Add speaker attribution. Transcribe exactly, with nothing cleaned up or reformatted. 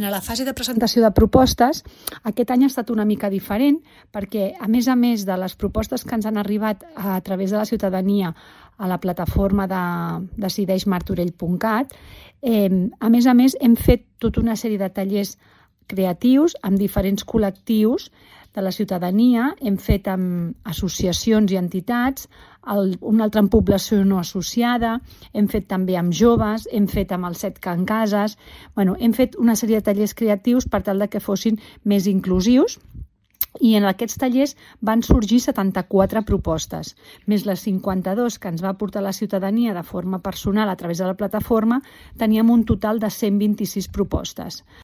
Speaker 1: En la fase de presentació de propostes, aquest any ha estat una mica diferent perquè, a més a més de les propostes que ens han arribat a través de la ciutadania a la plataforma de decideix martorell punt cat, eh, a més a més hem fet tota una sèrie de tallers creatius amb diferents col·lectius de la ciutadania, hem fet amb associacions i entitats, el, una altra amb població no associada, hem fet també amb joves, hem fet amb els set Can Cases, bueno, hem fet una sèrie de tallers creatius per tal de que fossin més inclusius, i en aquests tallers van sorgir setanta-quatre propostes, més les cinquanta-dues que ens va aportar la ciutadania de forma personal a través de la plataforma, teníem un total de cent vint-i-sis propostes.